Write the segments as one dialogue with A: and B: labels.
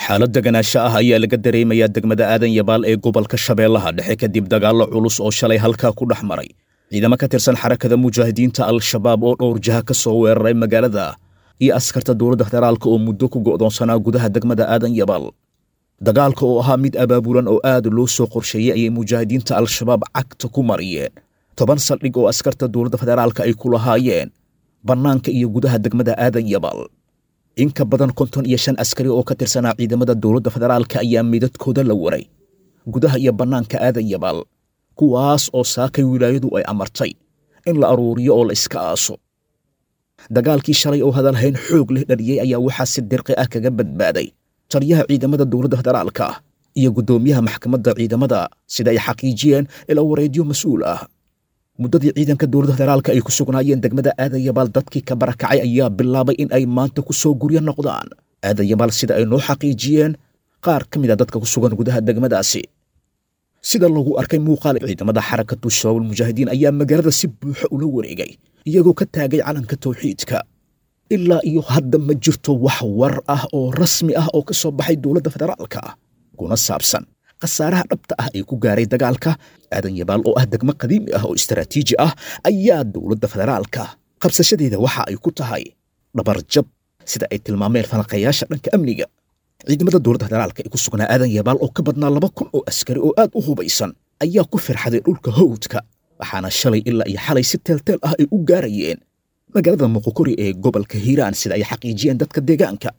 A: Xaalad deganaasho ah ayaa laga dareemayaa degmada Aadan Yabaal ee gobolka Shabeellaha Dhexe kadib dagaallo culus oo shalay halkaa ku dhex maray ciidamo ka tirsan Xarakada Mujaahidiinta Al-Shabaab oo dhowr jaha ka soo weeraray magaalada iyo askarta dowladda federaalka oo muddo ku go'doonsanaa gudaha degmada Aadan Yabaal. Dagaalka oo ahaa mid abaabulan oo aad loo soo qorsheeyey ayay Mujaahidiinta Al-Shabaab cagta ku mariyeen 10 saldhig oo askarta dowladda federaalka ay ku lahaayeen bannaanka iyo gudaha degmada Aadan Yabaal. In ka badan 55 askari oo ka tirsanaa ciidamada dowladda federaalka ayaa midadkooda la waray gudaha iyo bannaanka Aadan Yabaal, kuwaas oo saakay wilaayadu ay amartay in la aruuriyo oo la iska aaso. Dagaalkii shalay oo hadalhayn xoog leh dhaliyey ayaa waxaa si dirqi ah kaga badbaaday taliyaha ciidamada dowladda federaalka iyo guddoomiyaha maxkamadda ciidamada, sida ay xaqiijiyeen ila wareedyo mas-uul ah. Muddadii ciidanka dowladda federaalka ay ku sugnaayeen degmada Aadan Yabaal, dadkii ka barakacay ayaa bilaabay in ay maanta ku soo guryo noqdaan Aadan Yabaal, sida ay noo xaqiijiyeen qaar ka mid a dadka ku sugan gudaha degmadaasi. Sida lagu arkay muuqaal, ciidamada Xarakatu Shabaabul Mujaahidiin ayaa magaalada si buuxa ula wareegay, iyagoo ka taagay calanka tawxiidka. Ilaa iyo hadda ma jirto wax war ah oo rasmi ah oo ka soo baxay dowladda federaalka kuna saabsan khasaaraha dhabta ah ee ku gaaray dagaalka. Aadan Yabaal oo ah degmo qadiimi ah oo istaraatiiji ah ayaa dowladda federaalka qabsashadeeda waxa ay ku tahay dhabarjab, sida ay tilmaameen falanqeeyaasha dhanka amniga. Ciidamada dowladda federaalka ee ku sugnaa Aadan Yabaal oo ka badnaa 2000 oo askari oo aad u hubaysan ayaa ku firxaday dhulka hawdka, waxaana shalay ilaa iyo xalay si teelteel ah ay u gaarayeen magaalada Muqokori ee gobolka Hiiraan, sida ay xaqiijiyeen dadka deegaanka.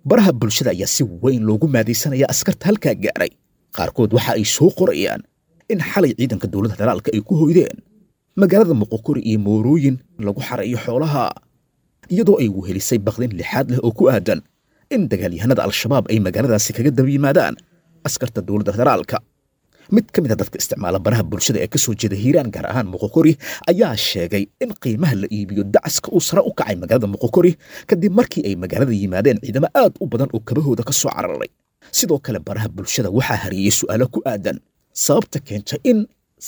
A: Baraha bulshada ayaa si weyn loogu maadaysanaya askarta halkaa gaaray. Qaarkood waxa ay soo qorayaan in xalay ciidanka dowladda federaalka ay ku hoydeen magaalada Muqokori iyo moorooyin lagu xareeyo xoolaha, iyadoo ay wehelisay baqdin lixaad leh oo ku aadan in dagaalyahanada Al-Shabaab ay magaaladaasi kaga daba yimaadaan askarta dowladda federaalka. Mid ka mid a dadka isticmaala baraha bulshada ee ka soo jeeda Hiiraan, gaar ahaan Muqokori, ayaa sheegay in qiimaha la iibiyo dacaska uu sare u kacay magaalada Muqokori kadib markii ay magaalada yimaadeen ciidamo aad u badan oo kabahooda ka soo cararay. Sidoo kale baraha bulshada waxaa hariyey su'aalo ku aadan sababta keenta in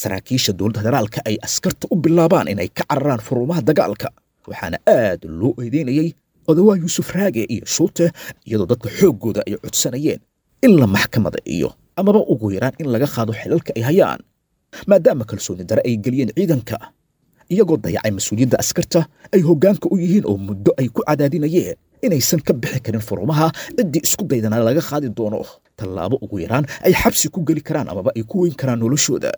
A: saraakiisha dowladda federaalka ay askarta u bilaabaan inay ka cararaan furumaha dagaalka, waxaana aad loo eedeynayey Odawaa Yuusuf Raage iyo Shuute, iyadoo dadka xooggooda ay codsanayeen in la maxkamada iyo amaba ugu yaraan in laga qaado xilalka ay hayaan, maadaama kalsooni dare ay geliyeen ciidanka, iyagoo dayacay mas-uuliyadda askarta ay hoggaanka u yihiin oo muddo ay ku cadaadinayeen inaysan ka bixi karin furumaha, ciddii isku daydana laga qaadi doono tallaabo ugu yaraan ay xabsi ku geli karaan amaba ay ku weyn karaan noloshooda.